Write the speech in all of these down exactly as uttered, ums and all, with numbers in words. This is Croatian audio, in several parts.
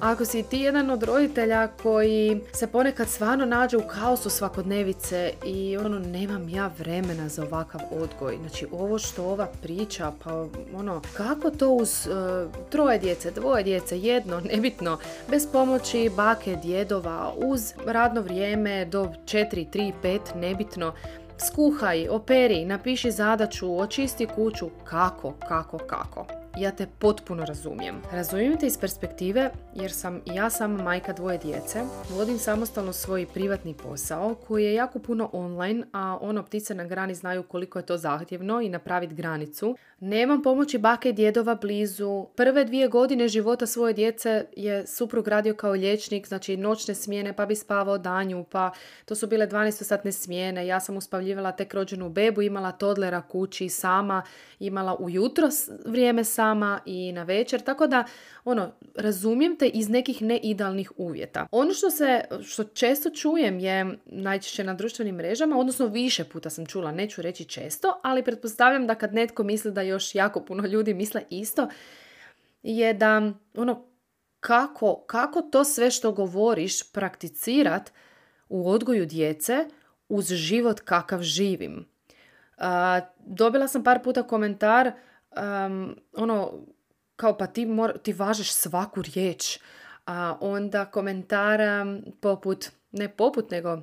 Ako si ti jedan od roditelja koji se ponekad stvarno nađe u kaosu svakodnevice i ono, nemam ja vremena za ovakav odgoj. Znači, ovo što ova priča, pa ono, kako to uz uh, troje djece, dvoje djece, jedno, nebitno, bez pomoći bake, djedova, uz radno vrijeme do četiri, tri, pet, nebitno, skuhaj, operi, napiši zadaću, očisti kuću, kako, kako, kako. Ja te potpuno razumijem. Razumijem te iz perspektive jer sam i ja sama majka dvoje djece. Vodim samostalno svoj privatni posao koji je jako puno online, a ono, ptice na grani znaju koliko je to zahtjevno i napraviti granicu. Nemam pomoći bake i djedova blizu. Prve dvije godine života svoje djece je suprug radio kao liječnik, znači noćne smjene, pa bi spavao danju, pa to su bile dvanaestosatne smjene. Ja sam uspavljivala tek rođenu bebu, imala todlera kući sama, imala ujutro vrijeme sama i na večer, tako da ono, razumijem te iz nekih neidealnih uvjeta. Ono što se, što često čujem je najčešće na društvenim mrežama, odnosno više puta sam čula, neću reći često, ali pretpostavljam da kad netko misli da još jako puno ljudi misle isto, je da ono, kako, kako to sve što govoriš prakticirat u odgoju djece uz život kakav živim. Uh, dobila sam par puta komentar um, ono, kao pa ti, mor, ti važeš svaku riječ. A onda komentar um, poput, ne poput, nego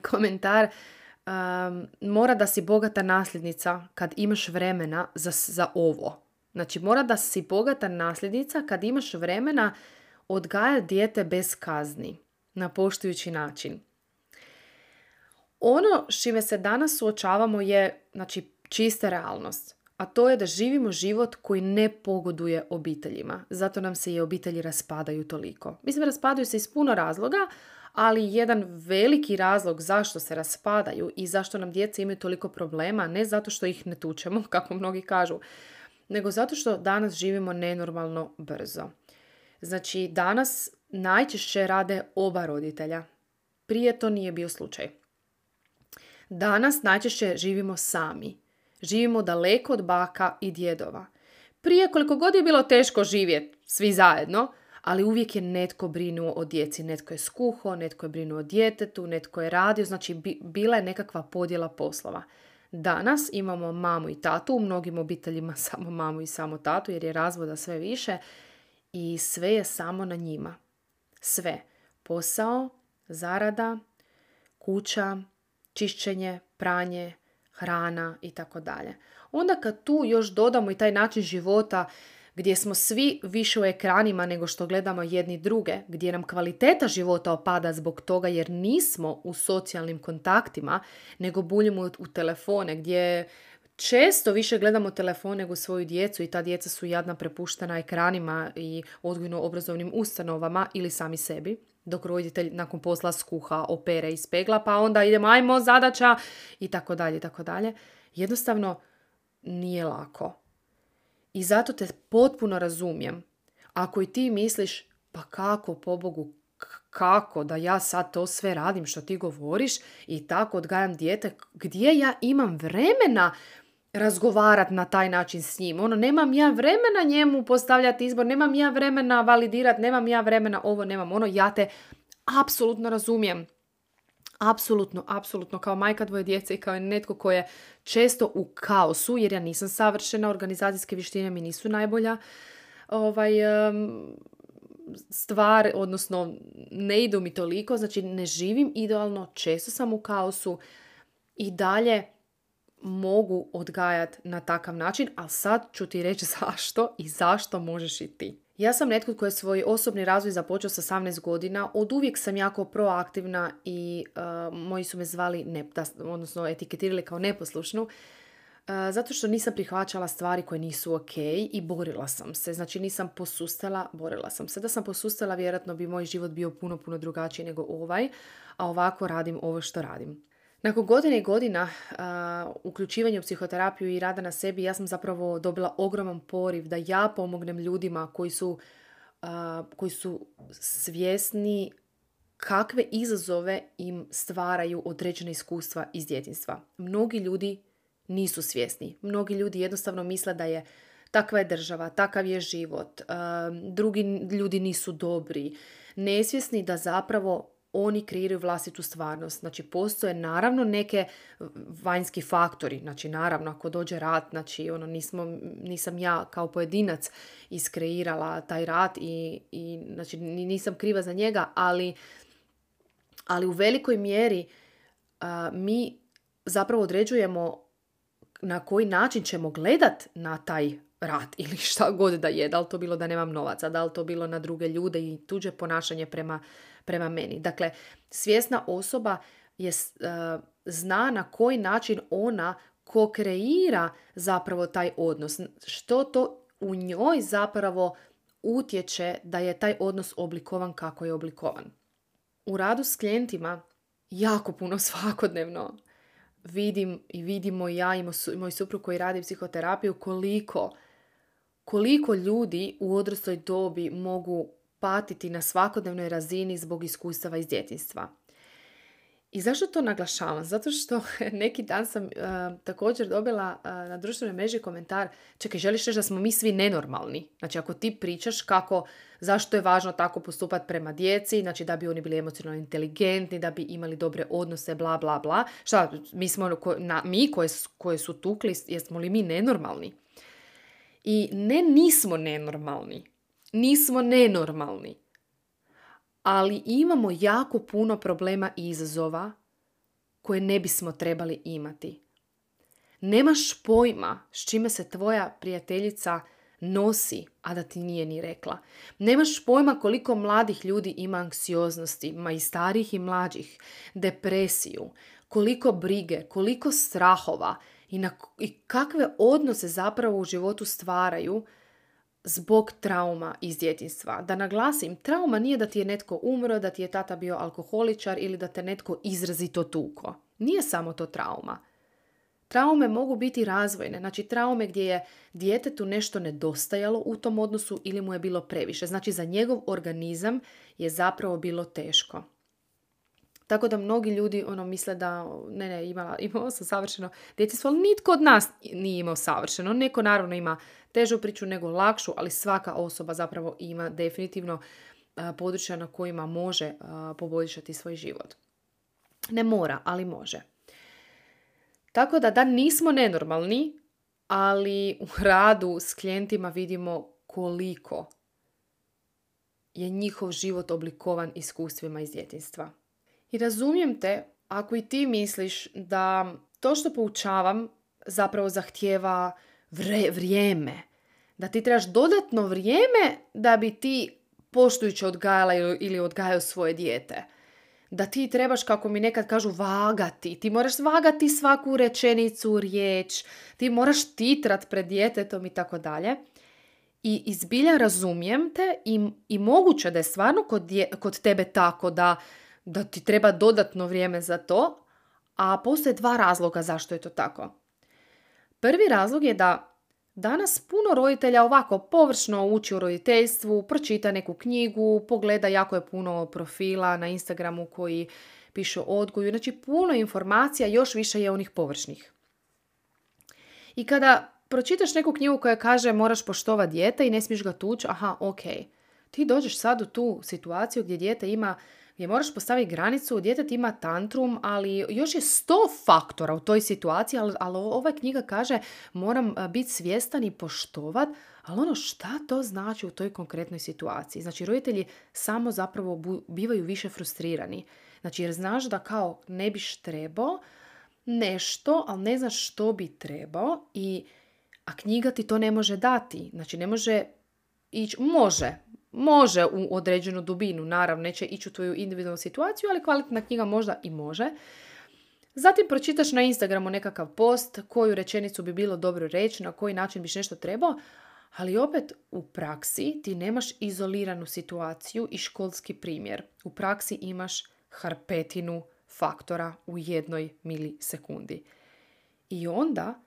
komentar um, mora da si bogata nasljednica kad imaš vremena za, za ovo. Znači, mora da si bogata nasljednica kad imaš vremena odgajati dijete bez kazni, na poštujući način. Ono s čime se danas suočavamo je, znači, čista realnost. A to je da živimo život koji ne pogoduje obiteljima. Zato nam se i obitelji raspadaju toliko. Mislim, raspadaju se iz puno razloga, ali jedan veliki razlog zašto se raspadaju i zašto nam djeca imaju toliko problema, ne zato što ih ne tučemo, kako mnogi kažu, nego zato što danas živimo nenormalno brzo. Znači, danas najčešće rade oba roditelja. Prije to nije bio slučaj. Danas najčešće živimo sami. Živimo daleko od baka i djedova. Prije, koliko god je bilo teško živjeti svi zajedno, ali uvijek je netko brinuo o djeci. Netko je skuhao, netko je brinuo o djetetu, netko je radio, znači bi, bila je nekakva podjela poslova. Danas imamo mamu i tatu, u mnogim obiteljima samo mamu i samo tatu, jer je razvoda sve više i sve je samo na njima. Sve. Posao, zarada, kuća, čišćenje, pranje, hrana i tako dalje. Onda kad tu još dodamo i taj način života gdje smo svi više u ekranima nego što gledamo jedni druge, gdje nam kvaliteta života opada zbog toga jer nismo u socijalnim kontaktima, nego buljimo u telefone, gdje često više gledamo telefon nego svoju djecu i ta djeca su jadna prepuštena ekranima i odgojno-obrazovnim ustanovama ili sami sebi, dok roditelj nakon posla skuha, opere, ispegla, pa onda idemo, ajmo, zadaća i tako dalje, i tako dalje. Jednostavno nije lako. I zato te potpuno razumijem. Ako i ti misliš, pa kako, pobogu, kako da ja sad to sve radim što ti govoriš i tako odgajam dijete, gdje ja imam vremena razgovarati na taj način s njim. Ono, nemam ja vremena njemu postavljati izbor, nemam ja vremena validirati, nemam ja vremena ovo, nemam ono. Ja te apsolutno razumijem. Apsolutno, apsolutno. Kao majka dvoje djece i kao netko ko je često u kaosu, jer ja nisam savršena, organizacijske vještine mi nisu najbolja ovaj, um, stvar, odnosno ne idu mi toliko, znači ne živim idealno, često sam u kaosu i dalje mogu odgajati na takav način, ali sad ću ti reći zašto i zašto možeš i ti. Ja sam netko koji je svoj osobni razvoj započeo sa osamnaest godina. Od uvijek sam jako proaktivna i uh, moji su me zvali, ne, da, odnosno etiketirali kao neposlušnu, uh, zato što nisam prihvaćala stvari koje nisu ok i borila sam se. Znači nisam posustala, borila sam se. Da sam posustala, vjerojatno bi moj život bio puno, puno drugačiji nego ovaj, a ovako radim ovo što radim. Nakon godine i godina uh, uključivanja u psihoterapiju i rada na sebi, ja sam zapravo dobila ogroman poriv da ja pomognem ljudima koji su, uh, koji su svjesni kakve izazove im stvaraju određene iskustva iz djetinjstva. Mnogi ljudi nisu svjesni. Mnogi ljudi jednostavno misle da je takva je država, takav je život, um, drugi ljudi nisu dobri, nesvjesni da zapravo oni kreiraju vlastitu stvarnost. Znači, postoje naravno neke vanjski faktori. Znači, naravno, ako dođe rat, znači, ono, nismo, nisam ja kao pojedinac iskreirala taj rat i, i znači, nisam kriva za njega, ali, ali u velikoj mjeri a, mi zapravo određujemo na koji način ćemo gledat na taj rat ili šta god da je. Da li to bilo da nemam novaca, da li to bilo na druge ljude i tuđe ponašanje prema, prema meni. Dakle, svjesna osoba je, uh, zna na koji način ona ko-kreira zapravo taj odnos. Što to u njoj zapravo utječe da je taj odnos oblikovan kako je oblikovan. U radu s klijentima jako puno svakodnevno vidim i vidimo ja i moj suprug koji radi psihoterapiju koliko, koliko ljudi u odrasloj dobi mogu patiti na svakodnevnoj razini zbog iskustava iz djetinjstva. I zašto to naglašavam? Zato što neki dan sam uh, također dobila uh, na društvenoj mreži komentar, čekaj, želiš reći da smo mi svi nenormalni? Znači, ako ti pričaš kako, zašto je važno tako postupati prema djeci, znači da bi oni bili emocionalno inteligentni, da bi imali dobre odnose, bla, bla, bla. Šta, mi, smo, na, mi koje, koje su tukli, jesmo li mi nenormalni? I ne, nismo nenormalni. Nismo nenormalni. Ali imamo jako puno problema i izazova koje ne bismo trebali imati. Nemaš pojma s čime se tvoja prijateljica nosi, a da ti nije ni rekla. Nemaš pojma koliko mladih ljudi ima anksioznosti, ma i starih i mlađih, depresiju, koliko brige, koliko strahova i, na, i kakve odnose zapravo u životu stvaraju zbog trauma iz djetinjstva. Da naglasim, trauma nije da ti je netko umro, da ti je tata bio alkoholičar ili da te netko izrazito tuko. Nije samo to trauma. Traume mogu biti razvojne, znači traume gdje je djetetu nešto nedostajalo u tom odnosu ili mu je bilo previše. Znači za njegov organizam je zapravo bilo teško. Tako da mnogi ljudi ono misle da ne, ne, imala, imala sam savršeno djetinjstvo, ali nitko od nas nije imao savršeno. Neko naravno ima težu priču nego lakšu, ali svaka osoba zapravo ima definitivno a, područja na kojima može a, poboljšati svoj život. Ne mora, ali može. Tako da da nismo nenormalni, ali u radu s klijentima vidimo koliko je njihov život oblikovan iskustvima iz djetinjstva. I razumijem te ako i ti misliš da to što poučavam zapravo zahtijeva vre, vrijeme. Da ti trebaš dodatno vrijeme da bi ti poštujuće odgajala ili odgajao svoje dijete. Da ti trebaš, kako mi nekad kažu, vagati. Ti moraš vagati svaku rečenicu, riječ. Ti moraš titrat pred djetetom i tako dalje. I izbilja razumijem te i, i moguće da je stvarno kod, dje, kod tebe tako da da ti treba dodatno vrijeme za to, a postoje dva razloga zašto je to tako. Prvi razlog je da danas puno roditelja ovako površno uči o roditeljstvu, pročita neku knjigu, pogleda jako je puno profila na Instagramu koji pišu o odgoju, znači puno informacija, još više je onih površnih. I kada pročitaš neku knjigu koja kaže moraš poštovati dijete i ne smiješ ga tući, aha, ok. Ti dođeš sad u tu situaciju gdje dijete ima gdje moraš postaviti granicu, djetet ima tantrum, ali još je sto faktora u toj situaciji, ali, ali ova knjiga kaže moram biti svjestan i poštovat, ali ono šta to znači u toj konkretnoj situaciji? Znači roditelji samo zapravo bu, bivaju više frustrirani. Znači jer znaš da kao ne biš trebao nešto, ali ne znaš što bi trebao, i, a knjiga ti to ne može dati. Znači ne može ići, može, Može u određenu dubinu, naravno, neće ići u tvoju individualnu situaciju, ali kvalitetna knjiga možda i može. Zatim pročitaš na Instagramu nekakav post, koju rečenicu bi bilo dobro reći, na koji način biš nešto trebao, ali opet u praksi ti nemaš izoliranu situaciju i školski primjer. U praksi imaš hrpetinu faktora u jednoj milisekundi. I onda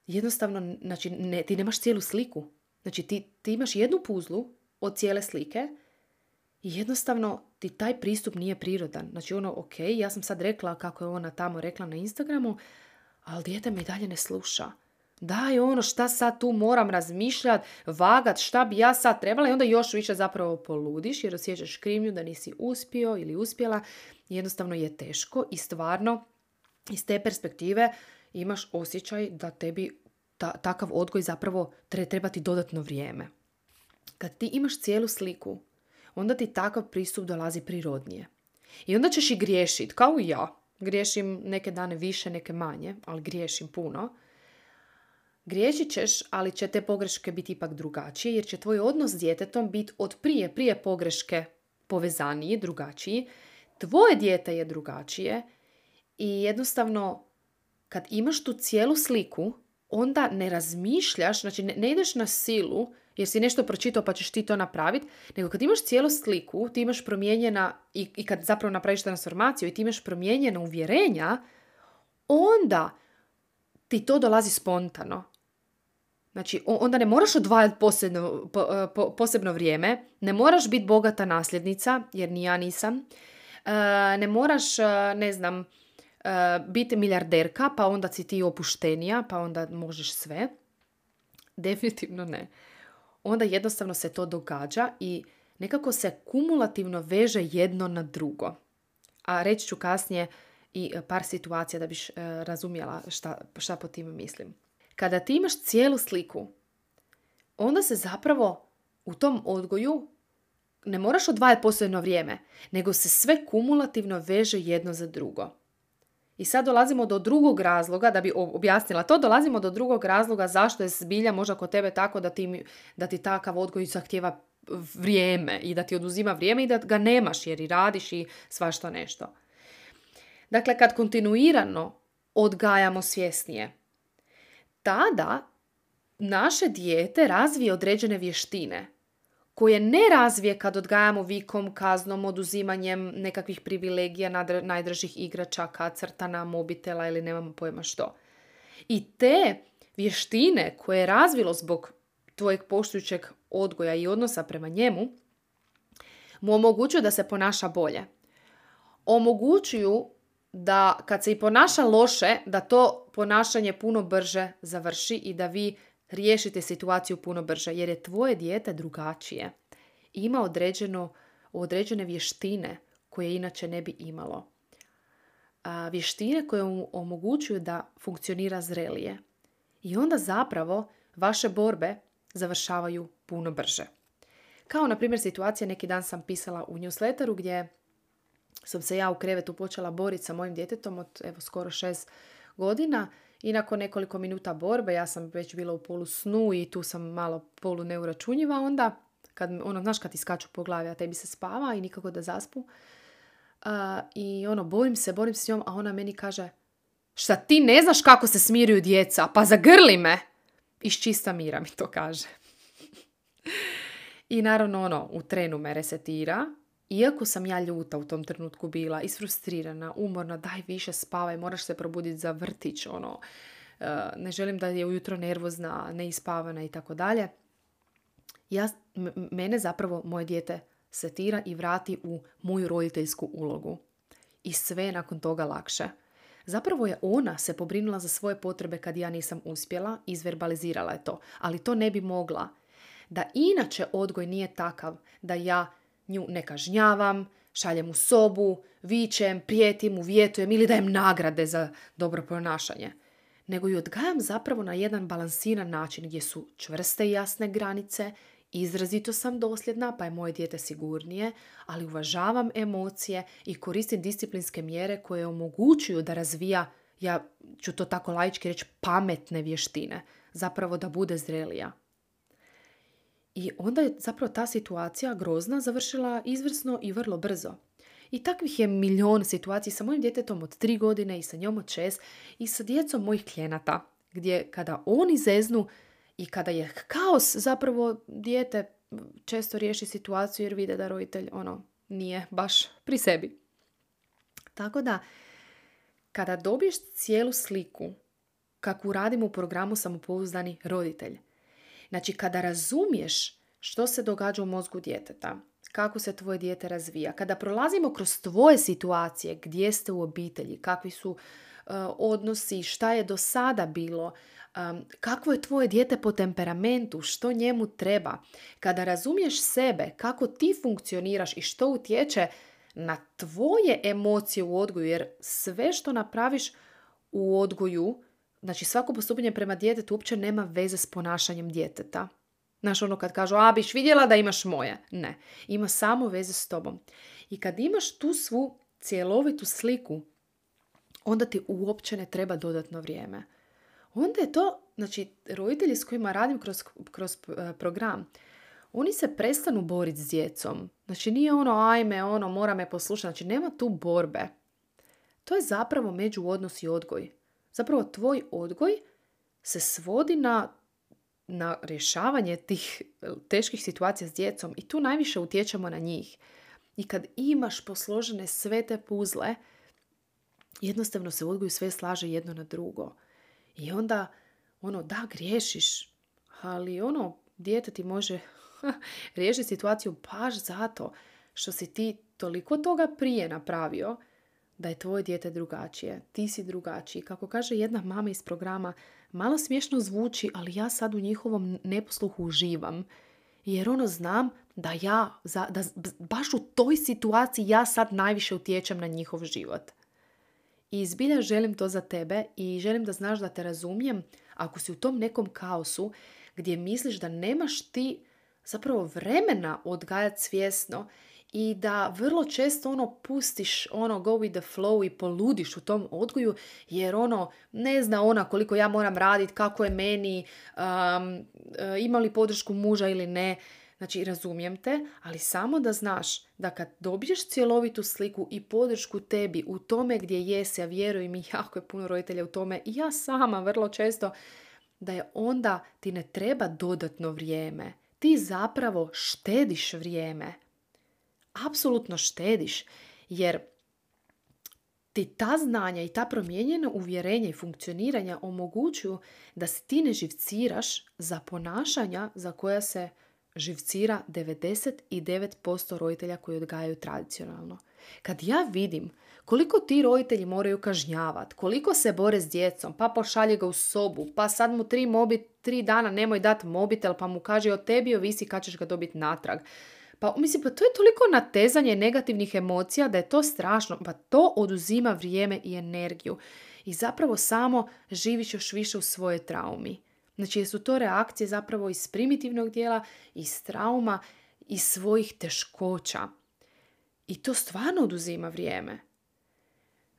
jednostavno, znači, ne, ti nemaš cijelu sliku. Znači ti, ti imaš jednu puzlu od cijele slike i jednostavno ti taj pristup nije prirodan. Znači ono, ok, ja sam sad rekla kako je ona tamo rekla na Instagramu, ali dijete me i dalje ne sluša. Daj ono, šta sad tu moram razmišljati, vagat, šta bi ja sad trebala i onda još više zapravo poludiš jer osjećaš krivnju da nisi uspio ili uspjela. Jednostavno je teško i stvarno iz te perspektive imaš osjećaj da tebi ta, takav odgoj zapravo treba ti dodatno vrijeme. Kad ti imaš cijelu sliku, onda ti takav pristup dolazi prirodnije. I onda ćeš i griješiti, kao i ja. Griješim neke dane više, neke manje, ali griješim puno. Griješit ćeš, ali će te pogreške biti ipak drugačije, jer će tvoj odnos s djetetom biti od prije, prije pogreške povezaniji, drugačiji. Tvoje dijete je drugačije i jednostavno kad imaš tu cijelu sliku, onda ne razmišljaš, znači ne, ne ideš na silu, jer si nešto pročitao pa ćeš ti to napraviti, nego kad imaš cijelu sliku, ti imaš promijenjena, i, i kad zapravo napraviš transformaciju i ti imaš promijenjena uvjerenja, onda ti to dolazi spontano. Znači, onda ne moraš odvajati posebno, po, po, posebno vrijeme, ne moraš biti bogata nasljednica, jer ni ja nisam, e, ne moraš, ne znam, e, biti milijarderka, pa onda si ti opuštenija, pa onda možeš sve. Definitivno ne. Onda jednostavno se to događa i nekako se kumulativno veže jedno na drugo. A reći ću kasnije i par situacija da biš e, razumjela šta, šta po time mislim. Kada ti imaš cijelu sliku, onda se zapravo u tom odgoju ne moraš odvajati posebno vrijeme, nego se sve kumulativno veže jedno za drugo. I sad dolazimo do drugog razloga, da bi objasnila to, dolazimo do drugog razloga zašto je zbilja možda kod tebe tako da ti, da ti takav odgoj zahtijeva vrijeme i da ti oduzima vrijeme i da ga nemaš jer i radiš i svašta nešto. Dakle, kad kontinuirano odgajamo svjesnije, tada naše dijete razvije određene vještine koje ne razvije kad odgajamo vikom, kaznom, oduzimanjem nekakvih privilegija, najdražih igračaka, crtana, mobitela ili nemamo pojma što. I te vještine koje je razvilo zbog tvojeg poštujućeg odgoja i odnosa prema njemu, mu omogućuju da se ponaša bolje. Omogućuju da kad se i ponaša loše, da to ponašanje puno brže završi i da vi riješite situaciju puno brže, jer je tvoje dijete drugačije. Ima određeno, određene vještine koje inače ne bi imalo. A, vještine koje mu omogućuju da funkcionira zrelije. I onda zapravo vaše borbe završavaju puno brže. Kao na primjer situacija, neki dan sam pisala u newsletteru gdje sam se ja u krevetu počela boriti sa mojim djetetom od evo skoro šest godina i nakon nekoliko minuta borbe, ja sam već bila u polu snu i tu sam malo polu neuračunjiva, onda kad, ono, znaš kad ti skaču po glavi, a tebi se spava i nikako da zaspu. Uh, I ono, borim se, borim se s njom, a ona meni kaže, šta ti ne znaš kako se smiruju djeca, pa zagrli me. Iz čista mira mi to kaže. I naravno, ono, u trenu me resetira. Iako sam ja ljuta u tom trenutku bila, isfrustrirana, umorna, daj više spavaj, moraš se probuditi za vrtić, ono, ne želim da je ujutro nervozna, neispavana i tako dalje. Ja, m- mene zapravo moje dijete setira i vrati u moju roditeljsku ulogu. I sve je nakon toga lakše. Zapravo je ona se pobrinula za svoje potrebe kad ja nisam uspjela, izverbalizirala je to, ali to ne bi mogla. Da inače odgoj nije takav da ja nju ne kažnjavam, šaljem u sobu, vičem, prijetim, uvjetujem ili dajem nagrade za dobro ponašanje. Nego ju odgajam zapravo na jedan balansiran način gdje su čvrste i jasne granice, izrazito sam dosljedna pa je moje dijete sigurnije, ali uvažavam emocije i koristim disciplinske mjere koje omogućuju da razvija, ja ću to tako laički reći, pametne vještine, zapravo da bude zrelija. I onda je zapravo ta situacija grozna završila izvrsno i vrlo brzo. I takvih je milion situacija sa mojim djetetom od tri godine i sa njom od šest i sa djecom mojih klijenata, gdje kada oni zeznu i kada je kaos, zapravo dijete često riješi situaciju jer vide da roditelj ono nije baš pri sebi. Tako da, kada dobiješ cijelu sliku, kakvu radimo u programu Samopouzdani roditelj, znači, kada razumiješ što se događa u mozgu djeteta, kako se tvoje dijete razvija, kada prolazimo kroz tvoje situacije, gdje ste u obitelji, kakvi su uh, odnosi, šta je do sada bilo, Um, kakvo je tvoje dijete po temperamentu, što njemu treba. Kada razumiješ sebe, kako ti funkcioniraš i što utječe na tvoje emocije u odgoju, jer sve što napraviš u odgoju, znači svako postupanje prema djetetu uopće nema veze s ponašanjem djeteta. Znaš, ono kad kažu, a biš vidjela da imaš moje. Ne, ima samo veze s tobom. I kad imaš tu svu cjelovitu sliku, onda ti uopće ne treba dodatno vrijeme. Onda je to, znači, roditelji s kojima radim kroz, kroz program, oni se prestanu boriti s djecom. Znači, nije ono, ajme, ono, mora me poslušati. Znači, nema tu borbe. To je zapravo međuodnos i odgoj. Zapravo, tvoj odgoj se svodi na, na rješavanje tih teških situacija s djecom i tu najviše utječemo na njih. I kad imaš posložene sve te puzle, jednostavno se u odgoju sve slaže jedno na drugo. I onda, ono, da, griješiš, ali ono, dijete ti može riješiti situaciju baš zato što si ti toliko toga prije napravio da je tvoje dijete drugačije. Ti si drugačiji. Kako kaže jedna mama iz programa, malo smiješno zvuči, ali ja sad u njihovom neposluhu uživam. Jer ono, znam da ja, da baš u toj situaciji ja sad najviše utječem na njihov život. I zbilja želim to za tebe i želim da znaš da te razumijem ako si u tom nekom kaosu gdje misliš da nemaš ti zapravo vremena odgajati svjesno i da vrlo često ono pustiš ono go with the flow i poludiš u tom odgoju jer ono ne zna ona koliko ja moram raditi, kako je meni, um, ima li podršku muža ili ne. Znači, razumijem te, ali samo da znaš da kad dobiješ cjelovitu sliku i podršku tebi u tome gdje jesi, a vjeruj mi, jako je puno roditelja u tome i ja sama vrlo često, da je onda ti ne treba dodatno vrijeme. Ti zapravo štediš vrijeme. Apsolutno štediš, jer ti ta znanja i ta promijenjena uvjerenja i funkcioniranja omogućuju da se ti ne živciraš za ponašanja za koja se živcira devedeset devet posto roditelja koji odgajaju tradicionalno. Kad ja vidim koliko ti roditelji moraju kažnjavati, koliko se bore s djecom, pa pošalje ga u sobu, pa sad mu tri, mobi, tri dana nemoj dati mobitel, pa mu kaže o tebi ovisi kad ćeš ga dobiti natrag. Pa mislim, pa to je toliko natezanje negativnih emocija da je to strašno. Pa to oduzima vrijeme i energiju. I zapravo samo živiš još više u svojoj traumi. Znači, su to reakcije zapravo iz primitivnog dijela, iz trauma, iz svojih teškoća. I to stvarno oduzima vrijeme.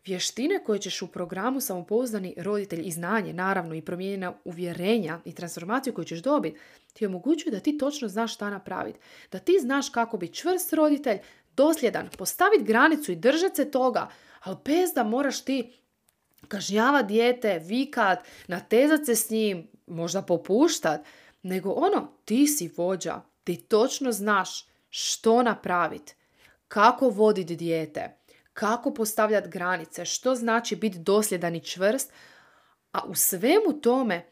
Vještine koje ćeš u programu Samopouzdani roditelj i znanje, naravno i promijenjena uvjerenja i transformaciju koju ćeš dobiti, ti omogućuju da ti točno znaš šta napraviti. Da ti znaš kako biti čvrst roditelj, dosljedan, postaviti granicu i držati se toga, ali bez da moraš ti kažnjavati dijete, vikat, natezat se s njim, možda popuštat, nego ono, ti si vođa, ti točno znaš što napraviti, kako voditi dijete, kako postavljati granice, što znači biti dosljedan i čvrst, a u svemu tome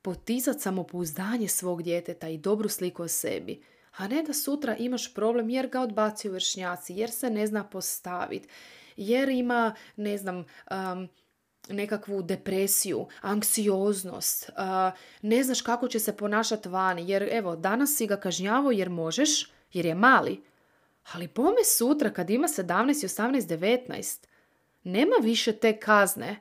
poticati samopouzdanje svog djeteta i dobru sliku o sebi, a ne da sutra imaš problem jer ga odbacuju vršnjaci, jer se ne zna postaviti, jer ima, ne znam, um, nekakvu depresiju, anksioznost, uh, ne znaš kako će se ponašati vani, jer evo, danas si ga kažnjavao jer možeš, jer je mali, ali bome sutra kad ima sedamnaest, osamnaest, devetnaest, nema više te kazne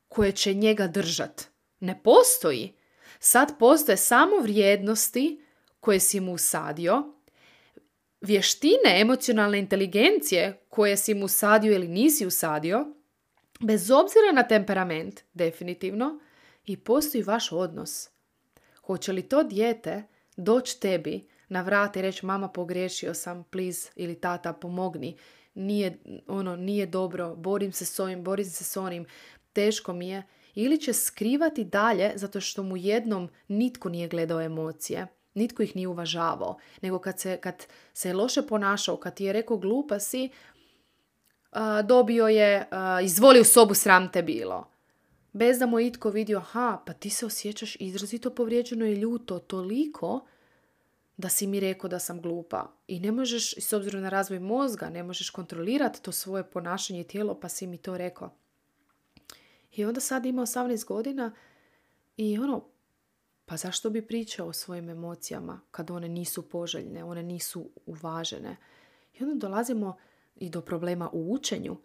koje će njega držat. Ne postoji. Sad postoje samo vrijednosti koje si mu usadio, vještine emocionalne inteligencije koje si mu usadio ili nisi usadio, bez obzira na temperament, definitivno, i postoji vaš odnos. Hoće li to dijete doći tebi na vrat i reći mama pogriješio sam, please, ili tata pomogni, nije, ono, nije dobro, borim se s ovim, borim se s onim, teško mi je, ili će skrivati dalje zato što mu jednom nitko nije gledao emocije, nitko ih nije uvažavao, nego kad se, kad se je loše ponašao, kad ti je rekao glupa si, Uh, dobio je, uh, izvoli u sobu, sram te bilo. Bez da mu je itko vidio, aha, pa ti se osjećaš izrazito povrijeđeno i ljuto toliko da si mi rekao da sam glupa. I ne možeš, s obzirom na razvoj mozga, ne možeš kontrolirati to svoje ponašanje i tijelo, pa si mi to rekao. I onda sad ima osamnaest godina I ono, pa zašto bi pričao o svojim emocijama kad one nisu poželjne, one nisu uvažene? I onda dolazimo i do problema u učenju,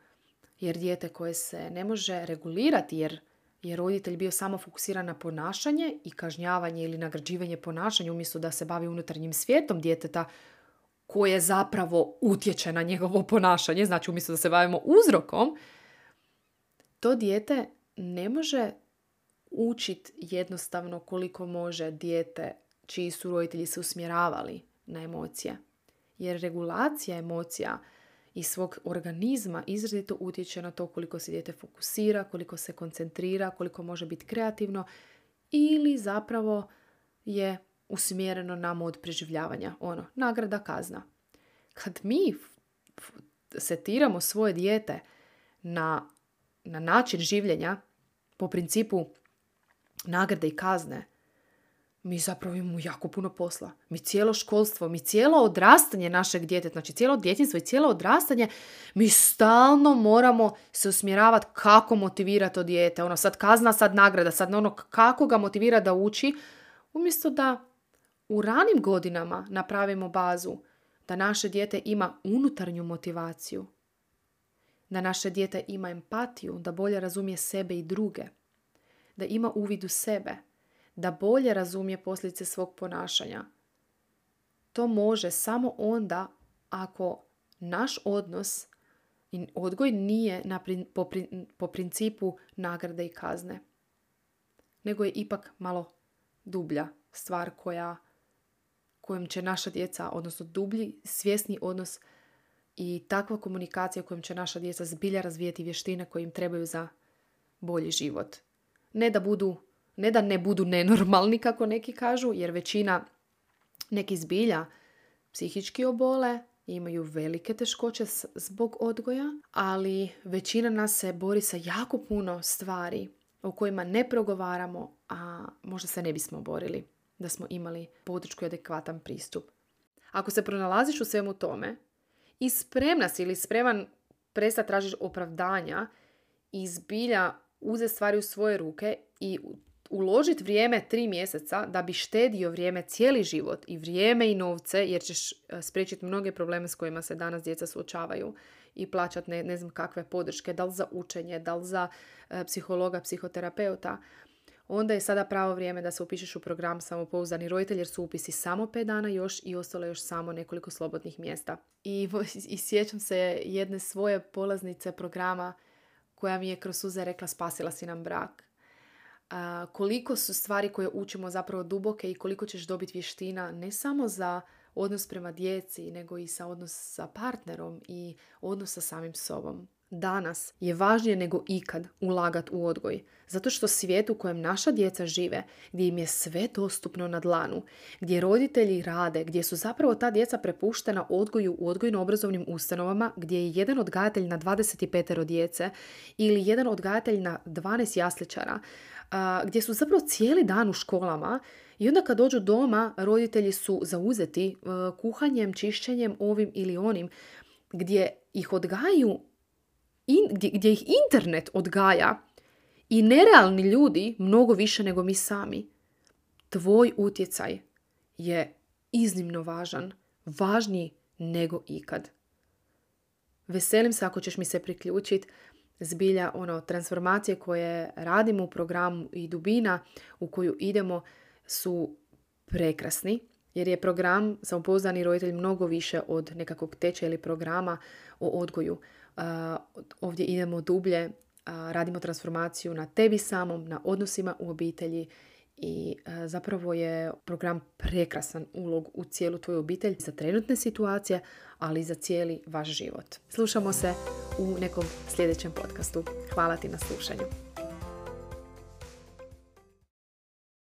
jer dijete koje se ne može regulirati jer je roditelj bio samo fokusiran na ponašanje i kažnjavanje ili nagrađivanje ponašanja umjesto da se bavi unutarnjim svijetom djeteta koje zapravo utječe na njegovo ponašanje, znači umjesto da se bavimo uzrokom, to dijete ne može učiti jednostavno koliko može dijete čiji su roditelji se usmjeravali na emocije. Jer regulacija emocija i svog organizma izrazito utječe na to koliko se dijete fokusira, koliko se koncentrira, koliko može biti kreativno ili zapravo je usmjereno na mod preživljavanja. Ono, nagrada, kazna. Kad mi setiramo svoje dijete na, na način življenja po principu nagrade i kazne, mi zapravo imamo jako puno posla. Mi cijelo školstvo, mi cijelo odrastanje našeg djeteta, znači cijelo djetinjstvo i cijelo odrastanje, mi stalno moramo se usmjeravati kako motivirati to dijete. Ono, sad kazna, sad nagrada, sad ono kako ga motivira da uči, umjesto da u ranim godinama napravimo bazu da naše dijete ima unutarnju motivaciju, da naše dijete ima empatiju, da bolje razumije sebe i druge, da ima uvid u sebe, da bolje razumije posljedice svog ponašanja. To može samo onda ako naš odnos i odgoj nije na, po, po principu nagrade i kazne, nego je ipak malo dublja stvar koja, kojom će naša djeca, odnosno dublji svjesni odnos i takva komunikacija kojom će naša djeca zbilja razvijeti vještine koje im trebaju za bolji život. Ne da budu Ne da ne budu nenormalni, kako neki kažu, jer većina neki zbilja psihički obole, imaju velike teškoće zbog odgoja, ali većina nas se bori sa jako puno stvari o kojima ne progovaramo, a možda se ne bismo borili da smo imali podršku i adekvatan pristup. Ako se pronalaziš u svemu tome i spremna si ili spreman prestati tražiš opravdanja i zbilja uzeti stvari u svoje ruke i uložiti vrijeme tri mjeseca da bi štedio vrijeme cijeli život i vrijeme i novce, jer ćeš spriječiti mnoge probleme s kojima se danas djeca suočavaju i plaćati ne, ne znam kakve podrške, da li za učenje, da li za e, psihologa, psihoterapeuta, onda je sada pravo vrijeme da se upišeš u program Samopouzdani roditelj, jer su upisi samo pet dana još i ostalo još samo nekoliko slobodnih mjesta. I, i sjećam se jedne svoje polaznice programa koja mi je kroz suze rekla: spasila si nam brak. Uh, koliko su stvari koje učimo zapravo duboke i koliko ćeš dobiti vještina ne samo za odnos prema djeci, nego i sa odnos sa partnerom i odnos sa samim sobom. Danas je važnije nego ikad ulagati u odgoj, zato što svijet u kojem naša djeca žive, gdje im je sve dostupno na dlanu, gdje roditelji rade, gdje su zapravo ta djeca prepuštena odgoju u odgojno-obrazovnim ustanovama, gdje je jedan odgajatelj na dvadeset pet djece ili jedan odgajatelj na dvanaest jasličara, gdje su zapravo cijeli dan u školama i onda kad dođu doma roditelji su zauzeti kuhanjem, čišćenjem, ovim ili onim, gdje ih odgajaju, in, gdje, gdje ih internet odgaja i nerealni ljudi mnogo više nego mi sami. Tvoj utjecaj je iznimno važan, važniji nego ikad. Veselim se ako ćeš mi se priključiti. Zbilja, ono, transformacije koje radimo u programu i dubina u koju idemo su prekrasni, jer je program Samopouzdani roditelj mnogo više od nekakvog tečaja ili programa o odgoju. Uh, ovdje idemo dublje, uh, radimo transformaciju na tebi samom, na odnosima u obitelji i uh, zapravo je program prekrasan ulog u cijelu tvoju obitelj za trenutne situacije, ali i za cijeli vaš život. Slušamo se u nekom sljedećem podcastu. Hvala ti na slušanju.